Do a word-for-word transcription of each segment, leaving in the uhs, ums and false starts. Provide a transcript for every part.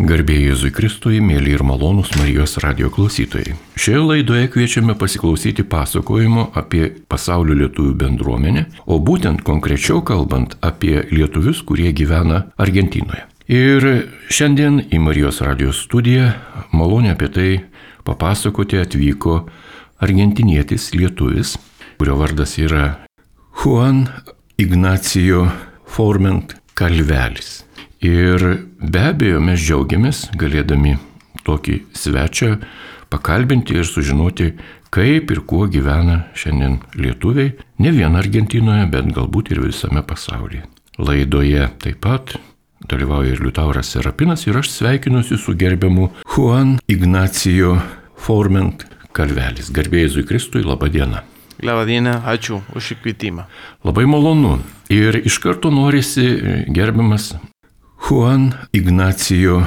Garbė Jėzui Kristui, mėly ir malonūs Marijos radio klausytojai. Šioje laidoje kviečiame pasiklausyti pasakojimo apie pasaulio lietuvių bendruomenę, o būtent konkrečiau kalbant apie lietuvius, kurie gyvena Argentinoje. Ir šiandien į Marijos radio studiją malonę apie tai papasakoti atvyko argentinietis lietuvis, kurio vardas yra Juan Ignacio Forment Calvelis. Ir be abejo mes džiaugiamės galėdami tokį svečią pakalbinti ir sužinoti, kaip ir kuo gyvena šiandien lietuviai, ne vien Argentinoje, bet galbūt ir visame pasaulyje. Laidoje taip pat dalyvauja ir Liutauras Serapinas ir aš sveikinuosi su gerbiamu Juan Ignacio Forment Calvelis. Garbė Jėzui Kristui, laba diena. Labą dieną, ačiū už kvietimą. Labai malonu. Ir iš karto norisi, gerbiamas Juan Ignacio,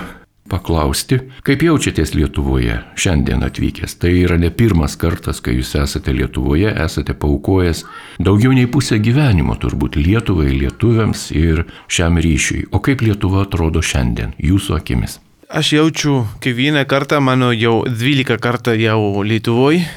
paklausti, kaip jaučiatės Lietuvoje šiandien atvykęs. Tai yra ne pirmas kartas, kai jūs esate Lietuvoje, esate paaukojęs daugiau nei pusę gyvenimo turbūt Lietuvai, lietuviams ir šiam ryšiui. O kaip Lietuva atrodo šiandien, jūsų akimis? Aš jaučiu kiekvieną kartą, mano jau dvylika kartą jau Lietuvoje.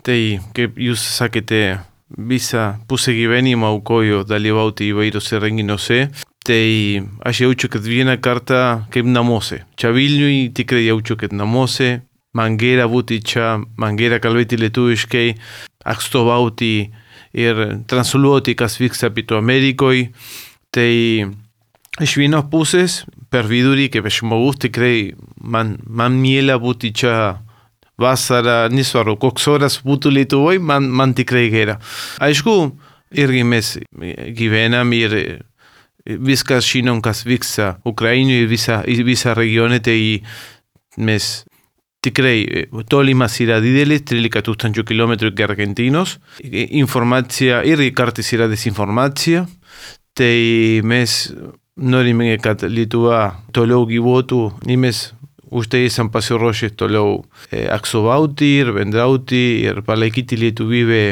Tai kaip jūs sakėte, visą pusę gyvenimo aukoju dalyvauti įvairiuose renginiuose. Tai aš jaučiu, kad vieną kartą kaip namuose. Čia Vilniui tikrai jaučiu, kad namuose. Man gera būti čia, man gera kalbėti lietuviškai, atstovauti ir transliuoti, kas vyksta Pietų Amerikoje. Tai iš vienos pusės, per vidurį, kaip žmogus, tikrai man, man miela būti čia vasarą, nesvaru, koks oras būtų Lietuvoje, man, man tikrai gera. Aišku, irgi mes gyvenam ir viskas žinom, kas vyksta Ukrainoje ir visa, visa regione, tai mes tikrai tolimas yra didelis, trylika tūkstančių kilometrų iki Argentinos. Informacija irgi kartais yra desinformacija, tai mes norime, kad Lietuva toliau gyvuotų, ir mes už tai esam pasiruošę toliau atstovauti ir bendrauti ir palaikyti lietuvybę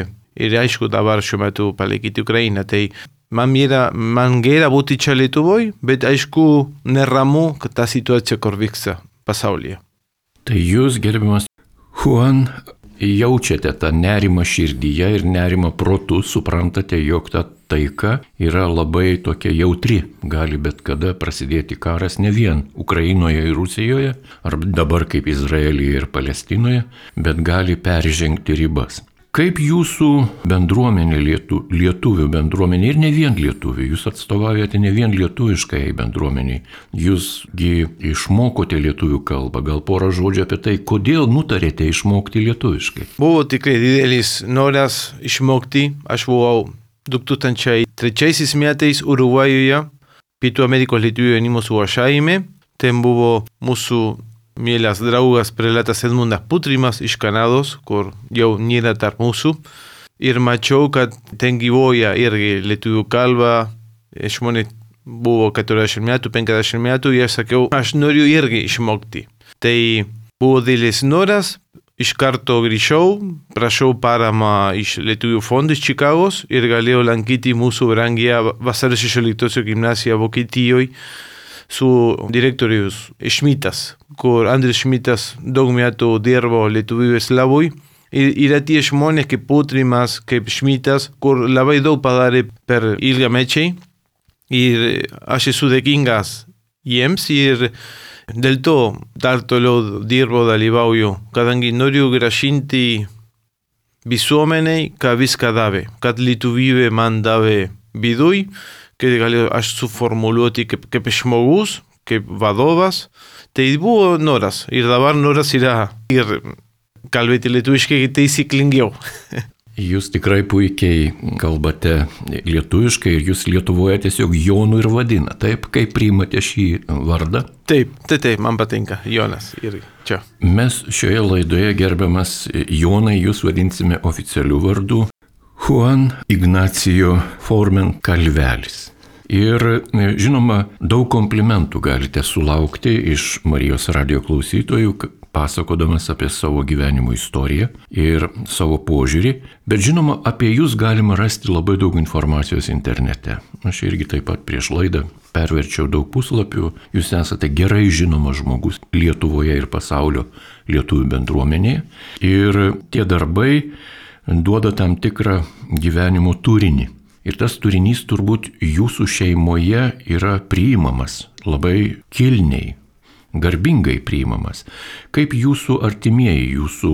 ir aišku dabar šiuo metu palaikyti Ukrainą. Tai Man, mira, man gera būti čia Lietuvoje, bet aišku neramu, kad ta situacija, kur vyksta pasaulyje. Tai jūs, gerbiamas Juan, jaučiate tą nerimą širdyje ir nerimą protu, suprantate, jog ta taika yra labai tokia jautri. Gali bet kada prasidėti karas ne vien Ukrainoje ir Rusijoje, ar dabar kaip Izraelyje ir Palestinoje, bet gali peržengti ribas. Kaip jūsų bendruomenė, lietu, lietuvių bendruomenė ir ne vien lietuvių, jūs atstovaujate ne vien lietuviškai bendruomeniai, jūsgi išmokote lietuvių kalbą, gal porą žodžių apie tai, kodėl nutarėte išmokti lietuviškai? Buvo tikrai didelis noras išmokti, aš buvau du tūkstančiai trečiaisiais metais Urugvajuje, Pietų Amerikos lietuvių jaunimo suvažiavime, ten buvo mūsų mielas draugas prelatas Edmundas Putrimas iš Kanados, kur jau nėra tarp mūsų. Ir mačiau, kad ten gyvoja irgi lietuvių kalba, žmonės buvo keturiasdešimt metų, penkiasdešimt metų, ir aš sakiau, aš noriu irgi išmokti. Tai buvo didelis noras, iš karto grįžau, prašau paramą iš Lietuvių fondų iš Čikagos ir galėjau lankyti mūsų brangią Vasario šešioliktosios gimnaziją Vokietijoje, su direktorius Šmitas, kur Andris Šmitas daug metų dirbo lietuvybės labui. Ir yra tie žmonės kaip Putrimas, kaip Šmitas, kur labai daug padarė per ilgamečiai. Ir aš esu dėkingas jiems ir dėl to dar toliau dirbo, dalyvauju, kadangi noriu grąžinti visuomeniai, ką viską davė, kad lietuvybė man davė viduj, kad galėjau aš suformuluoti kaip, kaip žmogus, kaip vadovas. Tai buvo noras. Ir dabar noras yra ir kalbėti lietuviškai taisyklingiau. Jūs tikrai puikiai kalbate lietuviškai ir jūs Lietuvoje tiesiog Jonu ir vadina. Taip, kaip priimate šį vardą? Taip, taip, taip, man patinka Jonas ir čia. Mes šioje laidoje, gerbiamas Jonai, jūs vadinsime oficialiu vardu Juan Ignacio Forment Calvelis. Ir žinoma, daug komplimentų galite sulaukti iš Marijos radio klausytojų, pasakodamas apie savo gyvenimo istoriją ir savo požiūrį, bet žinoma, apie jūs galima rasti labai daug informacijos internete. Aš irgi taip pat prieš laidą perverčiau daug puslapių, jūs esate gerai žinomas žmogus Lietuvoje ir pasaulio lietuvių bendruomenėje ir tie darbai duoda tam tikrą gyvenimo turinį. Ir tas turinys turbūt jūsų šeimoje yra priimamas labai kilniai, garbingai priimamas. Kaip jūsų artimieji, jūsų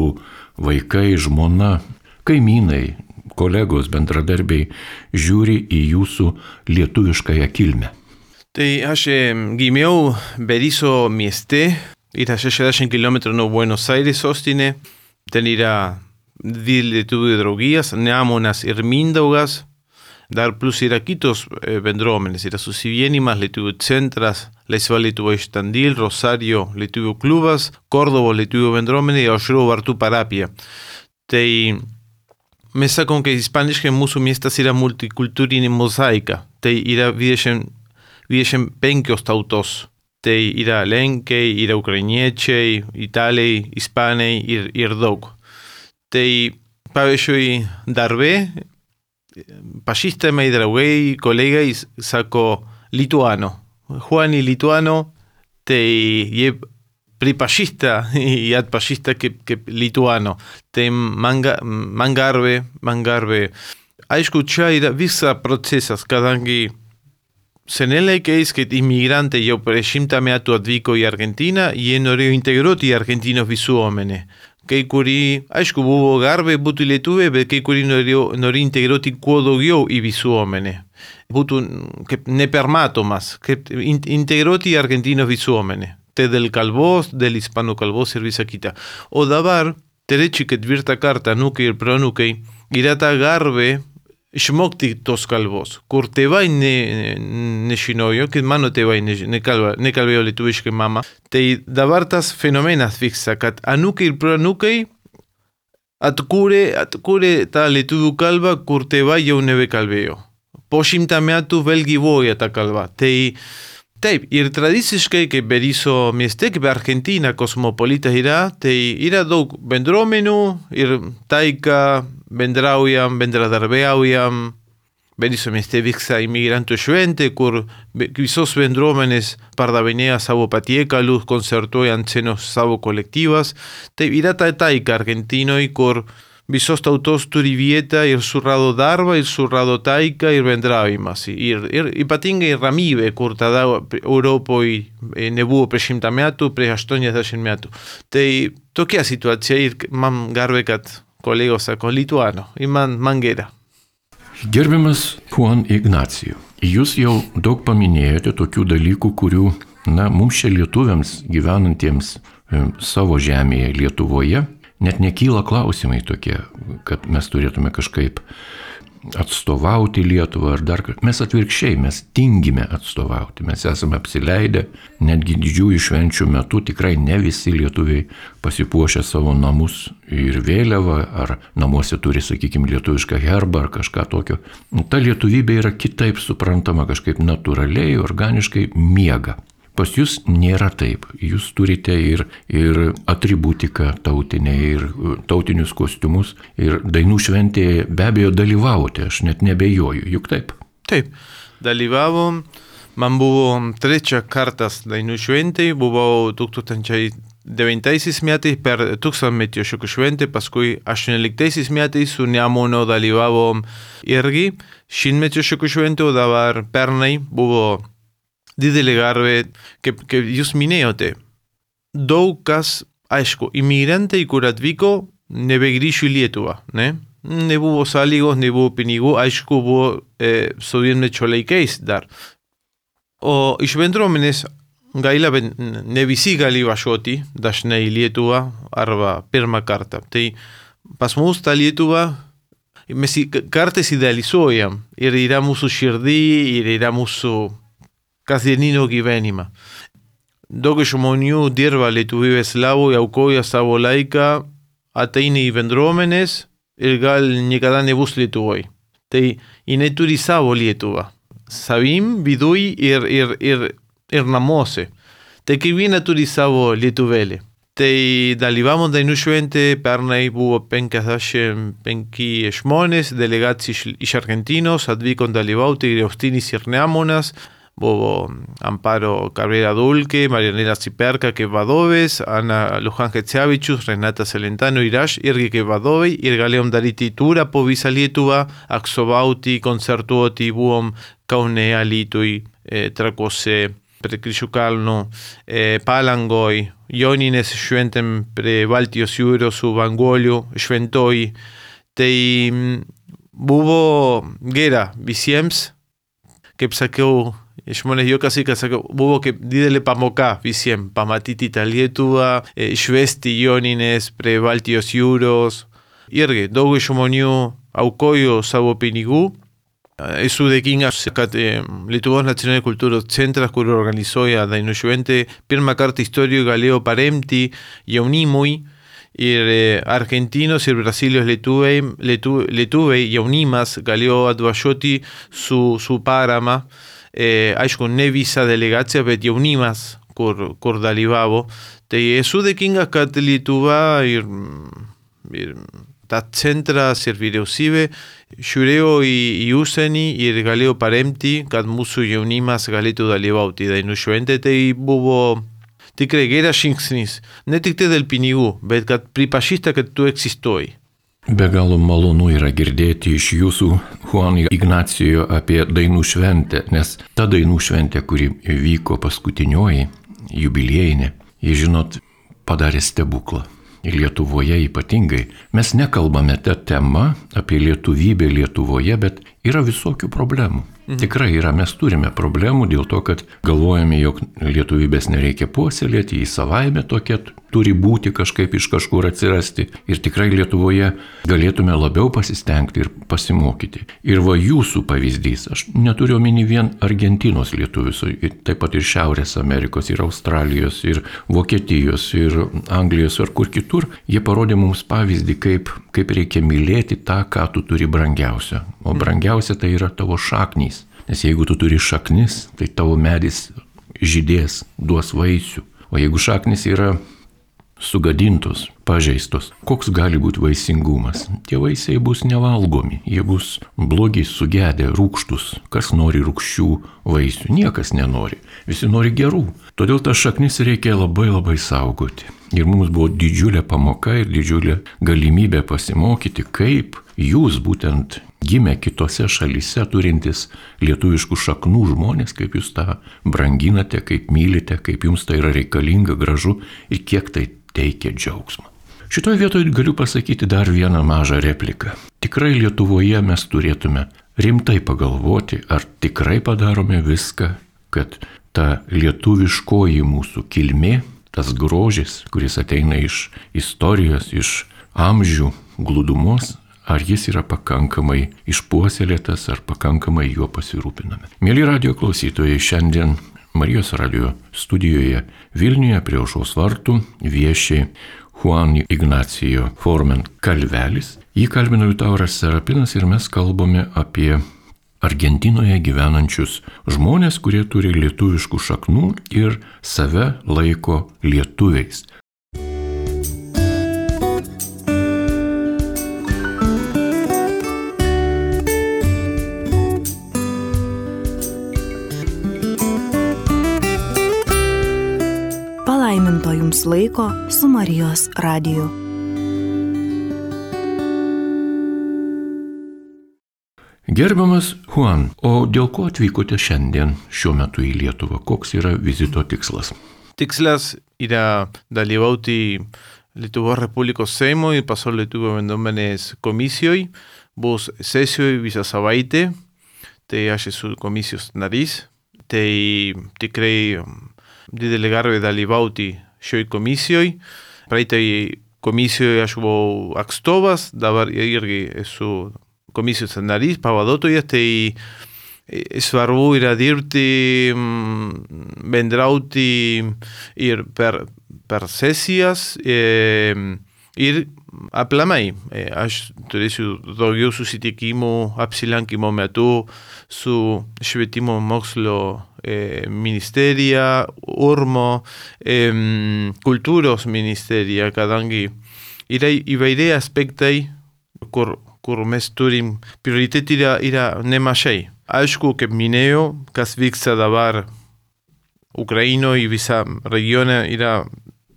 vaikai, žmona, kaimynai, kolegos, bendradarbiai žiūri į jūsų lietuviškąją kilmę? Tai aš gimiau Berisso mieste, yra šešiasdešimt kilometrų nuo Buenos Aires sostinė, ten yra dvi lietuvių draugijas, Neamonas ir Mindaugas, dar plus yra kitos bendruomenės, yra susivienimas, lietuvių centras, Laisva Lietuva iš Tandil, Rosario lietuvių klubas, Kordovo lietuvių bendruomenė ir Aušros Vartų parapija. Tai mes sakom, kad ispaniškai mūsų miestas yra multikultūrinė mozaika, tai yra dvidešimt penkios tautos. Tai yra lenkai, yra ukrainiečiai, italai, ispanai ir, ir daug. Tai, pavyzdžiui, darbe, pažįstamai draugai, kolegai sako lituano. Juan i lituano, tai jie pripažįsta i atpažįsta kaip, kaip lituano. Tai man, man garbė, man garbė. Aišku, čia yra visa procesas, kadangi senais laikais, kad imigrantai jau prieš šimtą metų atvyko į Argentiną, jie norėjo integruoti argentinos visuomenę. Kai kurį, aišku, buvo garbė būti lietuviai, bet kai kurį norėjo, norėjo integruoti kuo daugiau į visuomenę. Būtų kaip nepermatomas, kaip integruoti į argentinos visuomenę. Tai dėl kalbos, dėl hispano kalbos ir visa kita. O dabar, trečią ketvirtą kartą, anūkai ir proanūkai, yra ta garbė išmokti tos kalbos, kur tėvai ne, nežinojo, kad mano tėvai nekalbėjo lietuviškai mama. Tai dabar tas fenomenas vyksta, kad anūkai ir proanūkai atkūrė, atkūrė tą lietuvių kalbą, kur tėvai jau nebekalbėjo. Po šimtą metų vėl gyvuoja ta kalba. Tai taip, ir tradiciškai, kaip Berisso mieste, kaip Argentina kosmopolita yra, tai yra daug bendruomenių ir taika bendraujam, bendradarbiaujam. Berisso mieste vyksta imigrantų šventė, kur visos bendruomenės pardavinėja savo patiekalus, koncertuoja ant scenos savo kolektyvas. Tai yra ta taika Argentinoj, kur visos tautos turi vietą ir surrado darbą, ir surrado taika, ir bendravimas. Ir, ir ypatingai ramybė, kur tada Europoje nebuvo prieš šimtą metų, prieš aštuoniasdešimt metų. Tai tokia situacija ir man garbė, kad kolegos sako lituano, ir man, man gera. Gerbiamas Juan Ignacijų, jūs jau daug paminėjote tokių dalykų, kurių, na, mums čia lietuviams gyvenantiems e, savo žemėje Lietuvoje, net nekyla klausimai tokie, kad mes turėtume kažkaip atstovauti Lietuvą ar dar kažkaip. Mes atvirkščiai, mes tingime atstovauti. Mes esame apsileidę, netgi didžiųjų švenčių metu tikrai ne visi lietuviai pasipuošę savo namus ir vėliavą, ar namuose turi, sakykime, lietuvišką herbą ar kažką tokio. Ta lietuvybė yra kitaip suprantama, kažkaip natūraliai, organiškai miega. Pas jūs nėra taip. Jūs turite ir, ir atributiką tautinę, ir tautinius kostiumus, ir dainų šventėje be abejo dalyvavote, aš net nebejoju, juk taip? Taip, dalyvavom, man buvo trečia kartas dainų šventėje, buvau tūkstančiai devintaisiais metais per tūkstantmečio šokių šventę, paskui aštuonioliktaisiais metais su Neamono dalyvavom irgi šimtmečio šokių šventę, o dabar pernai buvo didelė garbė, kaip, kaip jūs minėjote. Daug kas, aišku, imigrantai, kur atvyko, nebegrįžo į Lietuvą, ne? Nebuvo sąlygos, nebuvo pinigų, aišku, buvo e, sovietmečio laikais dar. O iš bendruomenės gaila, bet ne visi gali važiuoti dažnai į Lietuvą arba pirmą kartą. Tai pas mus ta Lietuva, mes kartais idealizuojam ir yra mūsų širdį ir yra mūsų kasdienino gyvenimą. Daug žmonių dirba lietuvybės labui, aukoja savo laiką, ateina į bendruomenės ir gal niekada nebus Lietuvoj. Tai jinai turi savo Lietuvą. Savim, viduj ir, ir, ir, ir namuose. Tai kiekviena turi savo lietuvėlį. tai dalyvavom dainų šventė, pernai buvo penkiasdešimt penki žmonės, delegacija iš Argentinos, atvyko dalyvauti ir Austinis ir Neamonas, buvo Amparo Cabrera Dulke, Marianela Ciperka kaip vadovės, Ana Lujan Gecevičius, Renata Celentano ir aš irgi kaip vadovai ir galėjom daryti turą po visą Lietuvą, atstovauti, koncertuoti, buvom Kaune, Alytuj, e, Trakuose, prie Kryžių kalnų, e, Palangoj, Joninės šventėm prie Baltijos jūros su Vangoliu, šventoj. Tai buvo gera visiems, kaip sakiau, žmonės juokasi, kad sakau, buvo kaip didelė pamoka visiems, pamatyti tą Lietuvą, švęsti Joninės prie Baltijos jūros. Irgi daug žmonių aukojo savo pinigų. Esu dėkingas, kad Lietuvos nacionalinio kultūros centras, kur organizuoja dainų šventę, pirmą kartą istorijoje galėjo paremti jaunimui ir argentinos ir brasilijos lietuviai, lietu, lietuviai jaunimas galėjo atvažiuoti su, su parama. E, aišku, ne visa delegacija, bet jaunimas, kur, kur dalyvavo. Tai esu dėkingas, kad Lietuva ir, ir tas centras ir vyriausybė žiūrėjo į, į užsienį ir galėjo paremti, kad mūsų jaunimas galėtų dalyvauti dainų šventė. Tai buvo tikrai geras žingsnis, ne tik tai dėl pinigų, bet kad pripažįsta, kad tu egzistuoji. Be galo malonu yra girdėti iš jūsų, Juan Ignacijo, apie dainų šventę, nes ta dainų šventė, kuri vyko paskutinioji, jubiliejinė, jie, žinot, padarė stebuklą. Ir Lietuvoje ypatingai. Mes nekalbame tą temą apie lietuvybę Lietuvoje, bet yra visokių problemų. Mhm. Tikrai yra, mes turime problemų dėl to, kad galvojame, jog lietuvybės nereikia puoselėti, į savaime tokia turi būti kažkaip iš kažkur atsirasti. Ir tikrai Lietuvoje galėtume labiau pasistengti ir pasimokyti. Ir va jūsų pavyzdys, aš neturiu omeny vien Argentinos lietuvius, taip pat ir Šiaurės Amerikos, ir Australijos, ir Vokietijos, ir Anglijos, ar kur kitur. Jie parodė mums pavyzdį, kaip, kaip reikia mylėti tą, ką tu turi brangiausia. O brangiausia tai yra tavo šaknys. Nes jeigu tu turi šaknis, tai tavo medis žydės, duos vaisių. O jeigu šaknis yra sugadintos, pažeistos, koks gali būti vaisingumas? Tie vaisiai bus nevalgomi, jie bus blogi, sugedę, rūgštus. Kas nori rūgščių vaisių? Niekas nenori. Visi nori gerų. Todėl tas šaknis reikia labai labai saugoti. Ir mums buvo didžiulė pamoka ir didžiulė galimybė pasimokyti, kaip jūs būtent gimę kitose šalyse turintis lietuviškų šaknų žmonės, kaip jūs tą branginate, kaip mylite, kaip jums tai yra reikalinga, gražu ir kiek tai teikia džiaugsmą. Šitoje vietoje galiu pasakyti dar vieną mažą repliką. Tikrai Lietuvoje mes turėtume rimtai pagalvoti, ar tikrai padarome viską, kad ta lietuviškoji mūsų kilmė, tas grožis, kuris ateina iš istorijos, iš amžių glūdumos, ar jis yra pakankamai išpuoselėtas, ar pakankamai juo pasirūpiname. Mieli radijo klausytojai, šiandien Marijos radijo studijoje Vilniuje prie Aušros vartų vieši Juan Ignacijo Forment Kalvelis. Jį kalbino Liutauras Serapinas ir mes kalbame apie Argentinoje gyvenančius žmonės, kurie turi lietuviškų šaknų ir save laiko lietuviais. Palaiminto jums laiko su Marijos radiju. Gerbiamas Juan, o dėl ko atvykote šiandien šiuo metu į Lietuvą? Koks yra vizito tikslas? Tikslas yra dalyvauti Lietuvos Respublikos Seimo ir Pasaulio lietuvių bendruomenės komisijoje. Bus sesijoje visą savaitę, tai aš esu komisijos narys. Tai tikrai didelė garbė dalyvauti šioje komisijoje. Praeitai komisijoje aš buvau atstovas, dabar irgi esu komisijos narys, pavaduotojas, tai svarbu yra dirbti, bendrauti ir per, per sesijas e, ir aplamai. Aš turėsiu daugiau susitikimų apsilankimo metu su švietimo mokslo e, ministerija, urmo, e, kultūros ministerija, kadangi yra įvairiai aspektai, kur, kur mes turim prioritetį yra, yra nemažai. Aišku, kaip minėjau, kas vyksta dabar Ukrainoje, visa regione yra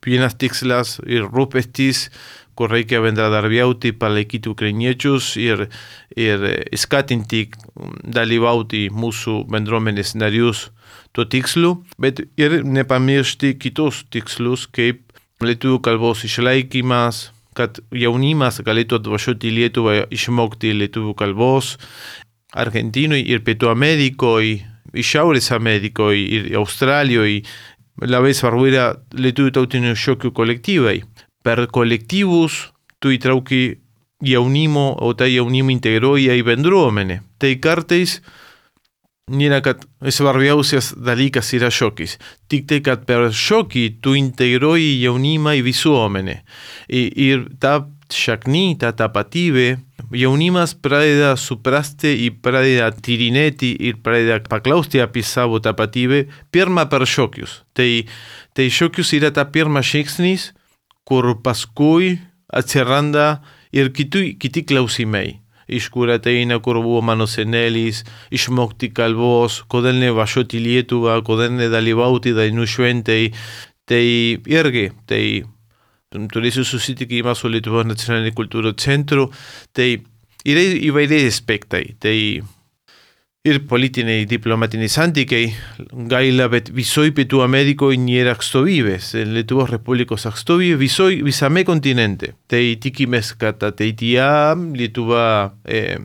vienas tikslas ir rūpestis, kur reikia bendradarbiauti, palaikyti ukrainiečius ir, ir skatinti dalyvauti mūsų bendruomenės narius tuo tikslu, bet ir nepamiršti kitus tikslus, kaip lietuvių kalbos išlaikymas, kad jaunimas galėtų atvažiuoti į Lietuvą išmokti lietuvių kalbos, Argentinoje ir Pietų Amerikoje, Šiaurės Amerikoje ir Australijoje. Labai svarbu yra lietuvių tautinių šokių kolektyvai. Per kolektyvus tu įtrauki jaunimo, o tai jaunimo integruoja į bendruomenę. Tai kartais nėra, kad svarbiausias dalykas yra šokis. Tik tai, kad per šokį tu integruoji jaunimą į visuomenę. Ir ta šakny, ta tapatybė, jaunimas pradeda suprasti ir pradeda tyrinėti ir pradeda paklausti apie savo tapatybę pirmą per šokius. Tai, tai šokius yra ta pirmas žingsnis, kur paskui atsiranda ir kiti, kiti klausimai. Iš kur ateina, kur buvo mano senelis, išmokti kalbos, kodėl nevažiuoti į Lietuvą, kodėl nedalyvauti dainų šventėj. Tai irgi, tai turėsiu susitikimą su Lietuvos nacionaliniu kultūros centru, tai yra įvairiai aspektai, tai ir politiniai, diplomatiniai santykiai, gaila, bet visoje Pietų Amerikoje nėra atstovybės, Lietuvos Respublikos atstovybė visoje, visame kontinente. Tai tikimės, kad ateityje Lietuva e,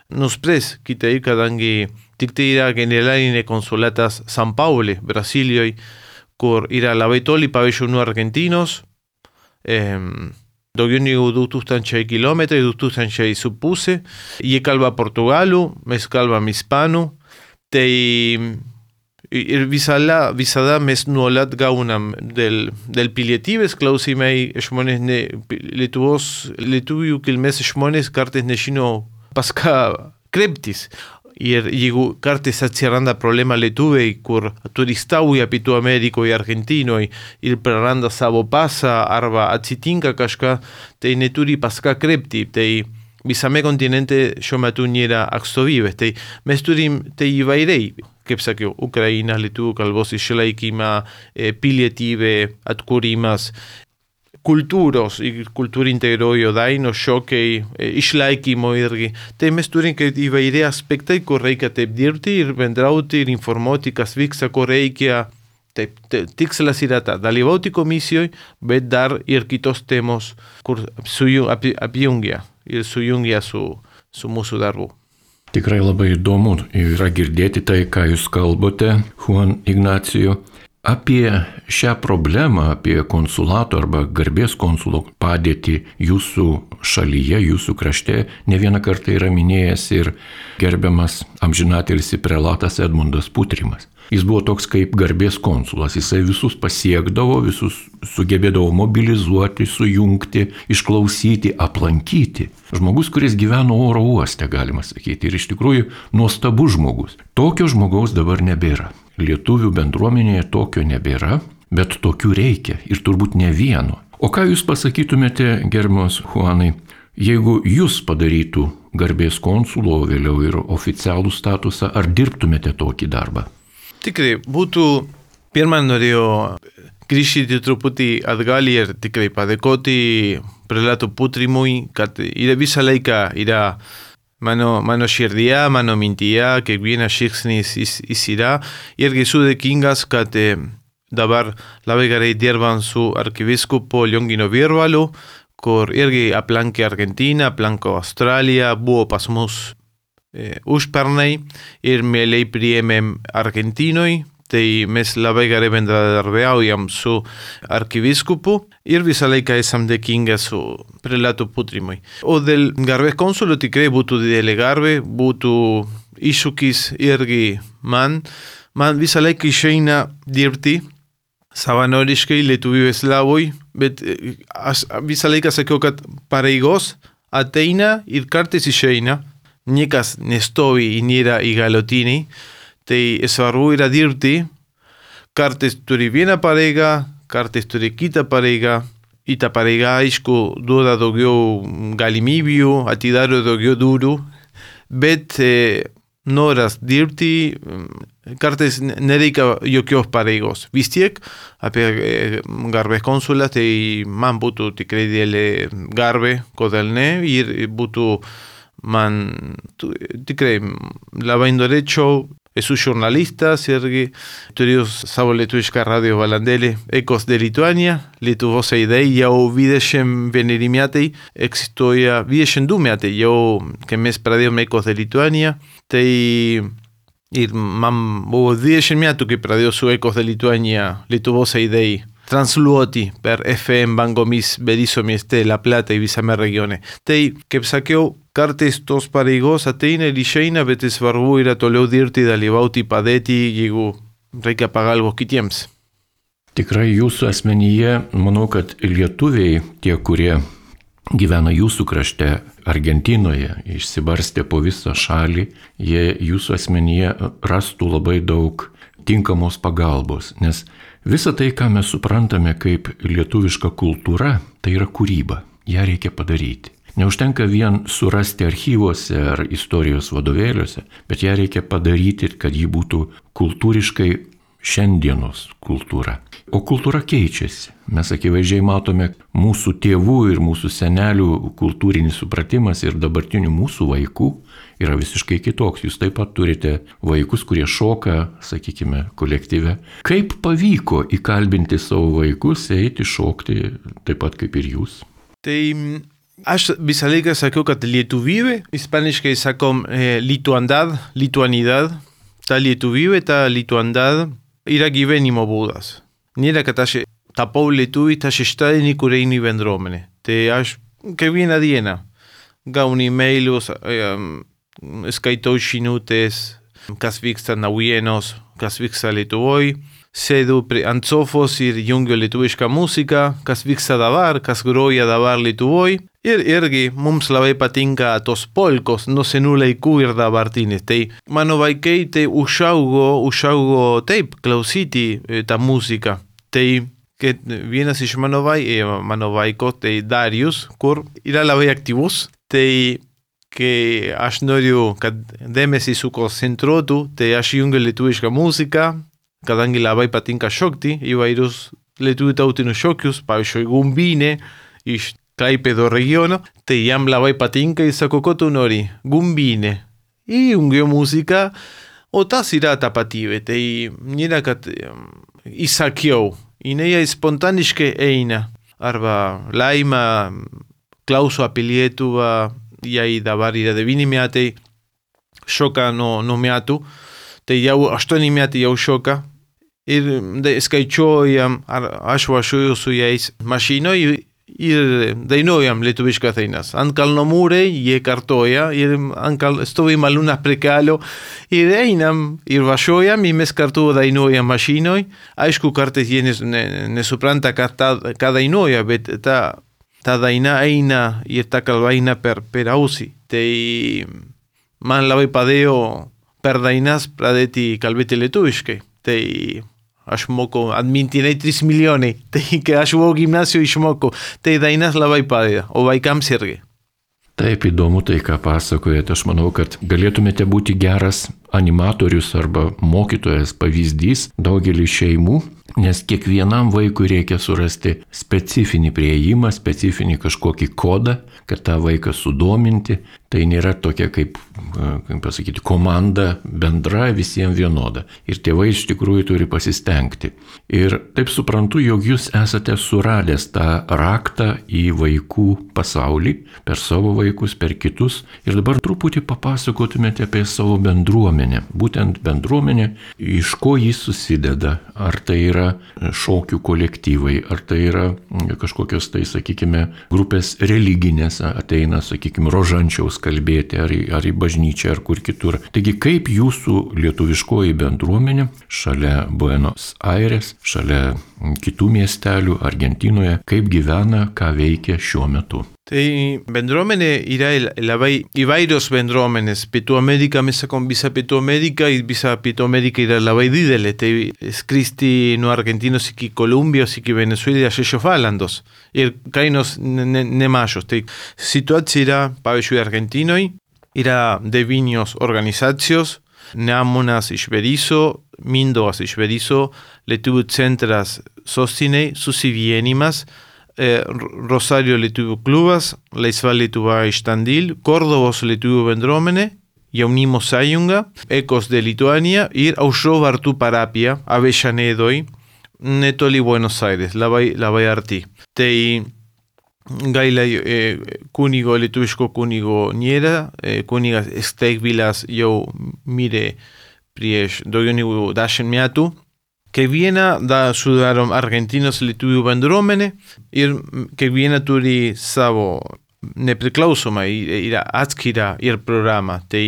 nuspręs kitaip, kadangi tik tai yra generalinė konsulatas San Paulo, Brasilijoje, kur yra labai toli, pavyzdžiui, nuo argentinos, Eh, daugiau negu du tūkstančiai kilometrai, du tūkstančiai su pusė. Jie kalba portugalų, mes kalbam ispanų. Tai ir visada, visada mes nuolat gaunam dėl, dėl pilietybės klausimai žmonės, ne, Lietuvos, lietuvių kilmės žmonės kartais nežino pas ką kreiptis. Ir jeigu kartais atsiranda problema lietuviai, kur turistauja Pietų Amerikoje, Argentinoje ir praranda savo pasą arba atsitinka kažką, tai neturi pas ką kreipti. Tai visame kontinente šiuo metu nėra atstovybės. Tai mes turim tai įvairiai, kaip sakiau, Ukraina, lietuvių kalbos išlaikymą, pilietybė, atkūrimas, kultūros ir kultūra integruoja dainų šokiai, išlaikymo irgi. Tai mes turim įvairiai aspektai, kur reikia taip dirbti ir bendrauti ir informuoti, kas vyksta, ko reikia. Taip, tikslas yra ta, dalyvauti komisijoje, bet dar ir kitos temos, kur apjungia ir sujungia su, su mūsų darbu. Tikrai labai įdomu yra girdėti tai, ką jūs kalbate, Juan Ignacio. Apie šią problemą, apie konsulato arba garbės konsulo padėtį jūsų šalyje, jūsų krašte, ne vieną kartą yra minėjęs ir gerbiamas amžinatilsį prelatas Edmundas Putrimas. Jis buvo toks kaip garbės konsulas, jisai visus pasiekdavo, visus sugebėdavo mobilizuoti, sujungti, išklausyti, aplankyti. Žmogus, kuris gyveno oro uoste, galima sakyti, ir iš tikrųjų nuostabus žmogus. Tokio žmogaus dabar nebėra. Lietuvių bendruomenėje tokio nebėra, bet tokių reikia ir turbūt ne vieno. O ką jūs pasakytumėte, gerbiamas Juanai, jeigu jūs padarytų garbės konsulo, vėliau ir oficialų statusą, ar dirbtumėte tokį darbą? Tikrai, būtų, pirmą norėjau grįžti truputį atgal ir tikrai padėkoti prelato Putrimui, kad yra visą laiką yra Mano, mano širdyje, mano mintyje, kiekvienas žingsnis jis yra. Irgi esu dėkingas, kad e, dabar labai gerai dirbam su arkivyskupu Liongino Virbalu, kur irgi aplankė Argentiną, aplankė Australiją, buvo pas mus e, užpernai ir mielai priėmėm Argentinoje. Tai mes labai gerai bendradarbiaujam su arkivyskupu ir visą laiką esam dėkingi su prelato Putrimui. O dėl garbės konsulo tikrai būtų didelė garbė, būtų iššūkis irgi man. Man visą laiką išeina dirbti savanoriškai lietuvių eslavoj, bet aš visą laiką sakiau, kad pareigos ateina ir kartais išeina, niekas nestovi ir nėra įgaliotiniai, tai svarbu yra dirbti, kartais turi vieną pareigą, kartais turi kitą pareigą, i ta pareiga, aišku, duoda daugiau galimybių, atidaro daugiau durų, bet e, noras dirbti, kartais nereikia jokios pareigos. Vis tiek, apie e, garbės konsulą, tai man būtų tikrai didelė garbė, kodėl ne, ir būtų man tikrai labai norėčiau. Esu žurnalistas irgi, turiu savo lietuvišką radio valandėlį Ekos de Lituania, Lietuvos aidai jau dvidešimt vieneri metai, egzistuoja dvidešimt du metai jau, kai mes pradėjome Ekos de Lituania, tai ir man buvo dvidešimt metų, kai pradėjau su Ekos de Lituania, Lietuvos aidai, transliuoti per F M bangomis Berisso mieste, La Plata i visame regione. Tai, kaip sakiau, kartais tos pareigos ateina ir išeina, bet svarbu yra toliau dirbti, dalyvauti, padėti, jeigu reikia pagalbos kitiems. Tikrai jūsų asmenyje, manau, kad lietuviai, tie, kurie gyvena jūsų krašte, Argentinoje, išsibarstė po visą šalį, jie jūsų asmenyje rastų labai daug tinkamos pagalbos, nes visa tai, ką mes suprantame kaip lietuviška kultūra, tai yra kūryba, ją reikia padaryti. Neužtenka vien surasti archyvuose ar istorijos vadovėliuose, bet ją reikia padaryti, kad ji būtų kultūriškai šiandienos kultūra. O kultūra keičiasi. Mes akivaizdžiai matome mūsų tėvų ir mūsų senelių kultūrinis supratimas ir dabartinių mūsų vaikų yra visiškai kitoks. Jūs taip pat turite vaikus, kurie šoka, sakykime, kolektyve. Kaip pavyko įkalbinti savo vaikus eiti šokti taip pat kaip ir jūs? Tai aš visą laiką sakiau, kad lietuvybė, ispaniškai sakom eh, lituandad, lituanidad, ta lietuvybė, ta lituandad yra gyvenimo būdas. Nėra, kad aš tapau lietuvį, tas šeštadienį, kur einu į bendruomenę. Tai aš kiekvieną dieną gaunu e-mailus, skaitau žinutes, kas vyksta naujienos, kas vyksta Lietuvoj, sėdu ant sofos ir jungiu lietuvišką muziką, kas vyksta dabar, kas groja dabar Lietuvoj. Ir irgi mums labai patinka tos polkos nuo senų laikų ir dabartinės. Tai mano vaikai tai užaugo, užaugo taip klausyti tą muziką. Tai kad vienas iš mano, vai, mano vaiko, tai Darius, kur yra labai aktyvus, tai kai aš noriu, kad dėmesį sukoncentruotų, tai aš jungiu lietuvišką muziką, kadangi labai patinka šokti įvairius lietuvių tautinius šokius, pavyzdžiui, gumbinė iš Klaipėdo regiono, tai jam labai patinka ir sako, ko tu nori? Gumbinė. I jungiu muziką, o tas yra tapatybė. Tai nėra, kad įsakiau. Jinai spontaniškai eina. Arba Laima klauso apie Lietuvą, jai dabar yra devyni metai, šoka nuo no metų, tai jau aštuoni metai jau šoka. Ir skaičiuojam, ar aš važiuoju su jais mašinoje, ir dainuojam lietuviškas dainas. Ant kalno mūrai jie kartoja ir kal... stovim alumnas prie kelio ir einam ir važiuojam ir mes kartu dainuojam mašinoj. Aišku, kartais jie nesupranta ką, ką dainuoja, bet ta, ta daina eina ir ta kalba eina per, per ausį. Tai man labai padėjo per dainas pradėti kalbėti lietuviškai. Tai aš moku atmintinai tris milijonai, tai kai aš buvau gimnasijoje išmokau, tai dainas labai padeda, o vaikams irgi. Taip įdomu tai, ką pasakojate. Aš manau, kad galėtumėte būti geras animatorius arba mokytojas pavyzdys daugelį šeimų, nes kiekvienam vaikui reikia surasti specifinį prieėjimą, specifinį kažkokį kodą, kad tą vaiką sudominti. Tai nėra tokia kaip, kaip pasakyti, komanda bendra visiems vienoda. Ir tėvai iš tikrųjų turi pasistengti. Ir taip suprantu, jog jūs esate suradęs tą raktą į vaikų pasaulį, per savo vaikus, per kitus. Ir dabar truputį papasakotumėte apie savo bendruomenę. bendruomenė, būtent bendruomenė, iš ko jis susideda, ar tai yra šokių kolektyvai, ar tai yra kažkokios tai, sakykime, grupės religinės, ateina, sakykime, rožančiaus kalbėti, ar į, ar į bažnyčią, ar kur kitur. Taigi, kaip jūsų lietuviškoji bendruomenė šalia Buenos Aires, šalia kitų miestelių Argentinoje, kaip gyvena, ką veikia šiuo metu? Tai bendruomenė yra labai įvairios bendruomenės. Pietų Amerika, mes sakom visa Pietų Amerika, ir visa Pietų Amerika yra labai didelė. Tai skristi no Argentinos iki Kolumbijos, iki Venezuela, šešios valandos. Ir kainos nemažos. Tai situacija yra, pavyzdžiui, Argentinoj, yra devynios organizacijos, neamonas iš Berizo, Mindoas iš Berizo, Lietuvių centras sostinei, susivienimas, Eh, Rosario Lietuvių klubas, Laisval Lietuva iš Tandil, Kordobos Lietuvių bendruomenė, Jaunimo sąjunga, Ekos de Lituania ir Aušros vartų parapija Avellanedoj, netoli Buenos Aires, labai, labai arti. Tai gaila eh, kunigo, lietuviško kunigo nėra, eh, kunigas Steigvilas jau mirė prieš daugiau negu dešimt metų. Kiekviena da sudaro Argentinos lietuvių bendruomenė ir kiekviena turi savo nepriklausomą ir atskirą ir programą. Tai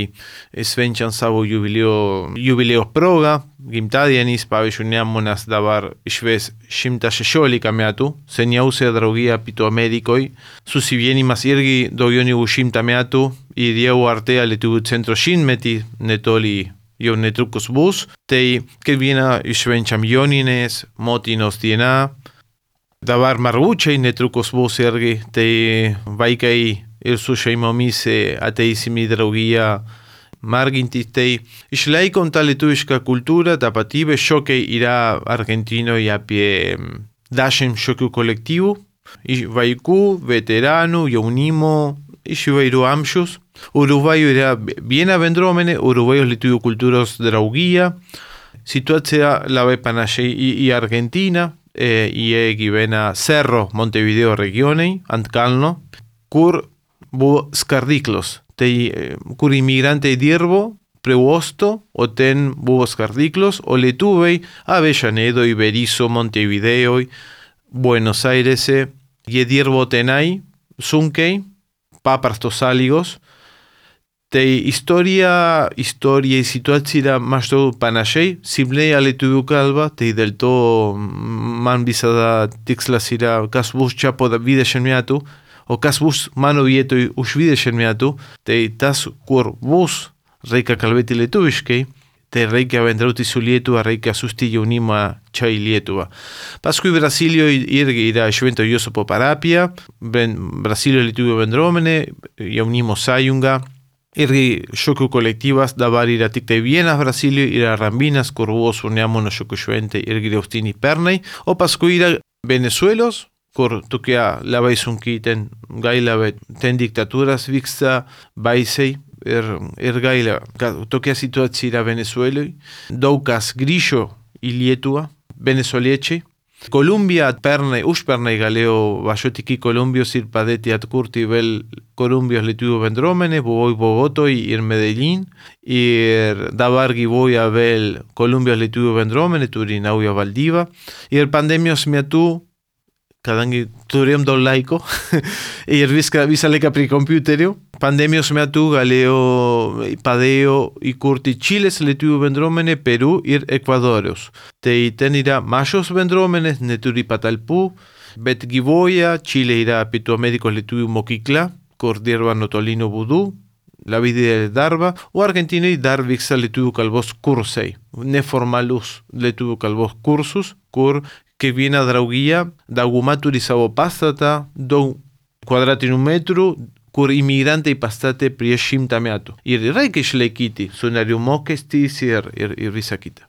švenčiam savo jubileo, jubileo proga, gimtadienis, pavyzdžiui, neamonas dabar švęs šimtas šešiolika metų, seniausia draugija Pietų Amerikoj, susivienimas irgi daugiau negu šimtą metų ir jau artėja Lietuvių centro šimtmetį netoli jau netrukus bus, tai kiekvieną švenčiam Jonines, motinos diena, dabar margučiai netrukus bus irgi, tai vaikai ir su šeimomis ateisim į draugiją margintis, tai išlaikom tą lietuvišką kultūrą, tapatybę, šokiai yra Argentinoje apie dešimt šokių kolektyvų, vaikų, veteranų, jaunimo, iš įvairių amžius. Uruguayo yra viena bendruomenė, Uruguayos lietuvių kultūros draugija. Situacija labai panašiai į, į Argentina, e, jie gyvena Cerro, Montevideo regionai, ant kalno, kur buvo skardyklos. Tai kur imigrantai dirbo prie uosto, o ten buvo skardyklos, o lietuviai Avellanedoj, Berizo, Montevideo, Buenos Aires, jie dirbo tenai, sunkiai, paprastos sąlygos. Tai istorija, istorija ir situacija yra maždaug panašiai, simpliai lietuvių kalba, tai dėl to man visada tikslas yra, kas bus čia po dvidešimt metų, o kas bus mano vietoj už dvidešimt metų, tai tas, kur bus, reikia kalbėti lietuviškai, tai reikia bendrauti su Lietuva, reikia siųsti jaunimą čia į Lietuvą. Paskui Brasilijoje irgi yra Švento Josepo parapija, Brasilio lietuvių bendruomenė, Jaunimo sąjunga, irgi šokių kolektyvas, dabar yra tik tai vienas Brasilijoje, yra Rambinas, kur buvo su neamono šokių šventė irgi Austinį pernai, o paskui yra Venezuelos, kur tokia labai sunkiai ten gaila, bet ten diktatūras vyksta baisiai ir, ir gaila, kad tokia situacija yra Venezueloje. Daug kas grįžo į Lietuvą, venezueliečiai. Kolumbija pernai, užpernai galėjo važiuoti iki Kolumbijos ir padėti atkurti vėl Kolumbijos lietuvių bendruomenė, buvau Bogotoj ir Medellín, ir dabar gyvuoja vėl Kolumbijos lietuvių bendruomenė, turi naują valdybą, ir pandemijos metu, kadangi turėjom daug laiko ir viską, visą laiką prie kompiuterių, pandemijos metu galėjo, padėjo įkurti Čilės lietuvių bendruomenė, Peru ir Ekvadorius. Tai ten yra mažos bendruomenės, neturi patalpų, bet gyvoja, Čilė yra Pietų Amerikos lietuvių mokykla, kur dirba nuotoliniu būdu, labai didelį darbą, o Argentinai dar vyksta lietuvių kalbos kursai, neformalus lietuvių kalbos kursus, kur kiekviena draugija, dauguma turi savo pastatą, daug kvadratinių metrų, kur imigrantai pastatė prieš šimtą metų. Ir reikia išlaikyti su narių mokestis ir, ir, ir visa kita.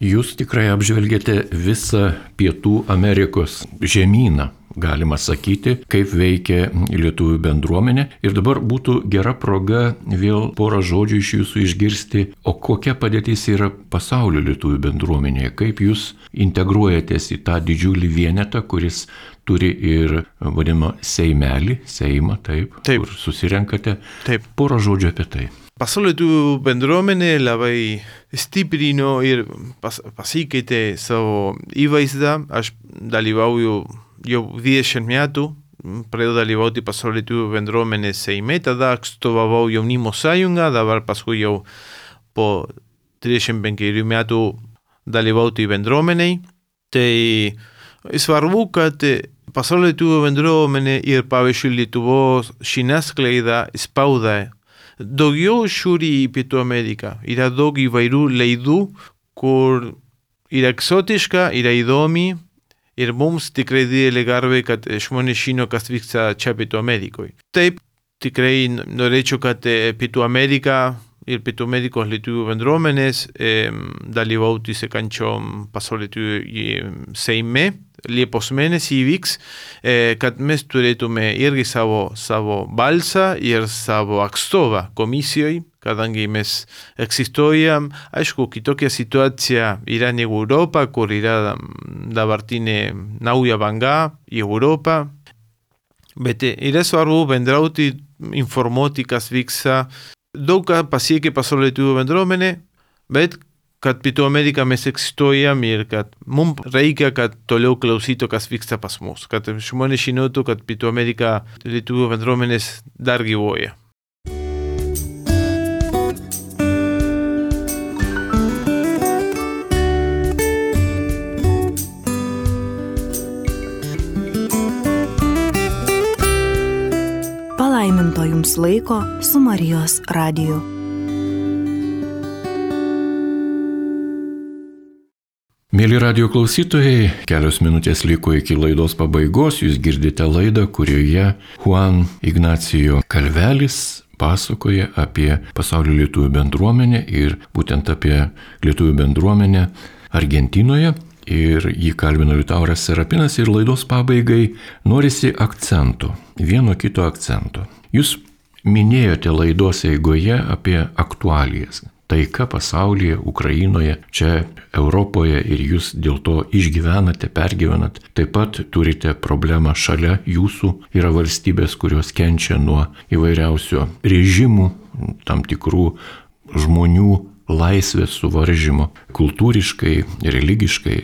Jūs tikrai apžvelgėte visą Pietų Amerikos žemyną, galima sakyti, kaip veikia lietuvių bendruomenė. Ir dabar būtų gera proga vėl porą žodžių iš jūsų išgirsti, o kokia padėtis yra pasaulio lietuvių bendruomenėje, kaip jūs integruojatės į tą didžiulį vienetą, kuris turi ir vadinamą seimelį, seimą, taip, Taip. kur susirenkate. Taip. Porą žodžių apie tai. Pasaulio lietuvių bendruomenė labai stiprino ir pas, pasikeitė savo įvaizdą. Aš dalyvauju jau dvidešimt metų, pradėjau dalyvauti pasaulio lietuvių bendruomenės Seime, tada atstovavau jaunimo sąjungą, dabar paskui jau po trisdešimt penkerių metų dalyvauti bendruomeniai. Tai svarbu, kad pasaulio lietuvių bendruomenė ir pavyzdžiui Lietuvos žiniasklaida spauda daugiau žiūri į Pietų Ameriką. Yra daug įvairių laidų, kur yra egzotiška, yra įdomi. Ir mums tikrai didelė garbė, kad žmonės žino, kas vyksta čia Pietų Amerikoje. Taip, tikrai norėčiau, kad Pietų Amerika ir Pietų Amerikos lietuvių bendruomenės e, dalyvauti sekančiom pasaulio lietuvių Seime. Liepos mėnesį įvyks, e, kad mes turėtume irgi savo, savo balsą ir savo atstovą komisijoje, kadangi mes egzistuojam. Aišku, kitokia situacija yra negu Europa, kur yra dabartinė nauja banga į Europą. Bet yra svarbu bendrauti, informuoti, kas vyksta. Daug ką pasiekė pasaulio lietuvių bendruomenė, bet kad Pietų Amerika mes egzistuojam ir kad mums reikia, kad toliau klausytų, kas vyksta pas mus. Kad žmonės žinotų, kad Pietų Amerika lietuvių bendruomenės dar gyvuoja. Palaiminto jums laiko su Marijos radiju. Mėly radijo klausytojai, kelios minutės liko iki laidos pabaigos. Jūs girdite laidą, kurioje Juan Ignacio Calvelis pasakoja apie pasaulio lietuvių bendruomenę ir būtent apie lietuvių bendruomenę Argentinoje. Ir jį kalbino Liutauras Serapinas ir laidos pabaigai norisi akcento, vieno kito akcento. Jūs minėjote laidos eigoje apie aktualijas. Taika pasaulyje, Ukrainoje, čia Europoje ir jūs dėl to išgyvenate, pergyvenat. Taip pat turite problemą šalia jūsų. Yra valstybės, kurios kenčia nuo įvairiausių režimų, tam tikrų žmonių laisvės suvaržymo, kultūriškai, religiškai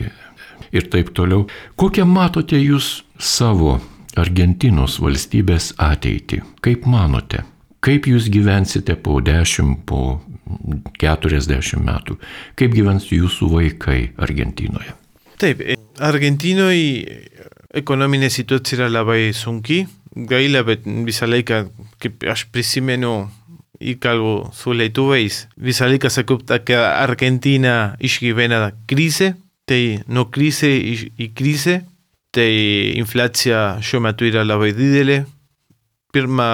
ir taip toliau. Kokią matote jūs savo Argentinos valstybės ateitį? Kaip manote? Kaip jūs gyvensite po dešimt, po keturiasdešimt metų? Kaip gyvens jūsų vaikai Argentinoje? Taip, Argentinoje ekonominė situacija yra labai sunki. Gaila, bet visą laiką, kaip aš prisimenu, įkalbu su lietuviais, visą laiką sakau, kad Argentina išgyvena krizę, tai nuo krizė į krizę, tai infliacija šiuo metu yra labai didelė. Pirmą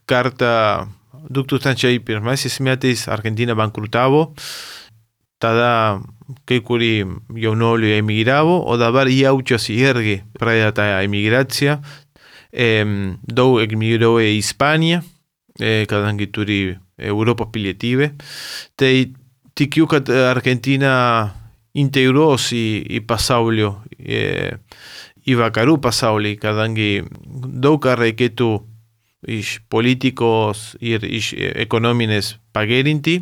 kartą du tūkstančiai pirmaisiais metais Argentina bankrutavo, tada kai kurie jaunuoliai emigravo, o dabar jaučiasi irgi pradėta emigracija. E, daug emigravo į Ispaniją, e, kadangi turi Europos pilietybę. Tai tikiu, kad Argentina integruos į, į pasaulio, e, į vakarų pasaulį, kadangi daug ką reikėtų iš politikos ir iš ekonominės pagerinti.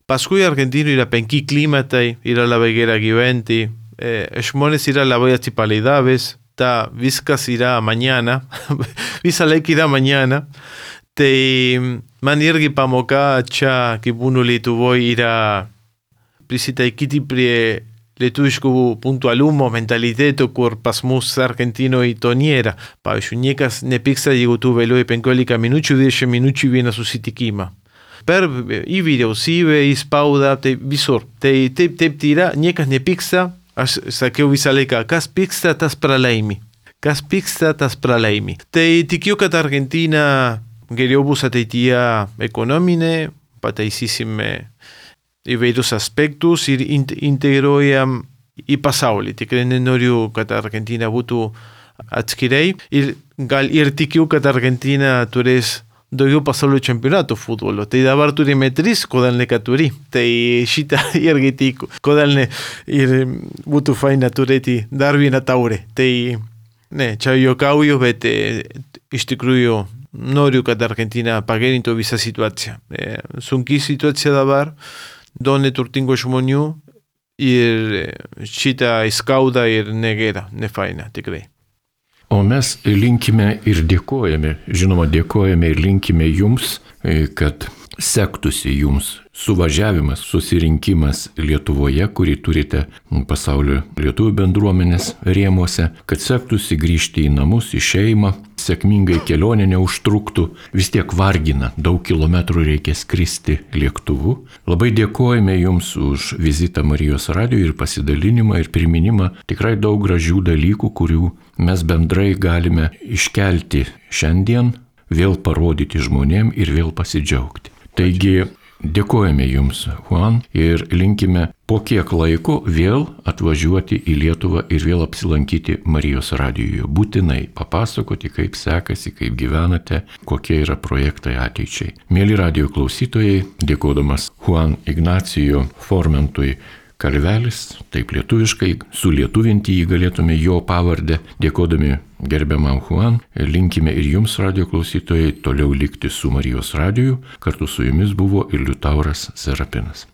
Paskui Argentina yra penki klimatai, yra labai gera gyventi, e, žmonės yra labai atsipalaidaves, ta viskas yra mañana, visą laiką yra mañana. Tai man irgi pamoka čia, kaip būnu Lietuvoje, yra prisitaikyti prie lietuviškų punktualumo, mentaliteto, kur pas mus Argentinoje to nėra. Pavyzdžiui, niekas nepyksta, jeigu tu vėluoji penkiolika minučių, dvidešimt minučių vieną susitikimą. Per į vyriausybę, į spaudą, tai visur. Tai taip, taip tai yra, niekas nepyksta. Aš sakiau visą laiką, kas pyksta, tas pralaimi. Kas pyksta, tas pralaimi. Tai tikiu, kad Argentina geriau bus ateityje ekonominė, pataisysime įvairius aspektus ir integruojam į pasaulį. Tikrai nenoriu, kad Argentina būtų atskirai ir, gal, ir tikiu, kad Argentina turės daugiau pasaulio čempionatų futbolo. Tai dabar turime tris, kodėl ne keturi. Tai šitą irgi tikiu. Kodėl ne ir būtų faina turėti dar vieną taurę. Tai Ne, čia juokauju, bet e, iš tikrųjų noriu, kad Argentina pagerintų visą situaciją. E, sunki situacija dabar, daug neturtingų žmonių ir šitą skauda ir negera, nefaina, tikrai. O mes linkime ir dėkojame, žinoma, dėkojame ir linkime jums, kad sektųsi jums suvažiavimas, susirinkimas Lietuvoje, kurį turite pasaulio lietuvių bendruomenės rėmuose, kad sektųsi grįžti į namus, į šeimą, sėkmingai kelionė neužtruktų, vis tiek vargina, daug kilometrų reikia skristi lėktuvu. Labai dėkojame jums už vizitą Marijos radijo ir pasidalinimą ir priminimą tikrai daug gražių dalykų, kurių mes bendrai galime iškelti šiandien, vėl parodyti žmonėm ir vėl pasidžiaugti. Taigi, dėkojame jums, Juan, ir linkime po kiek laiko vėl atvažiuoti į Lietuvą ir vėl apsilankyti Marijos radijoje. Būtinai papasakoti, kaip sekasi, kaip gyvenate, kokie yra projektai ateičiai. Mėly radijo klausytojai, dėkodamas Juan Ignacio Formentui Kalvelis, taip lietuviškai, sulietuvinti jį galėtume jo pavardę, dėkodami gerbiamam Juan, linkime ir jums, radijo klausytojai, toliau likti su Marijos radiju, kartu su jumis buvo ir Liutauras Serapinas.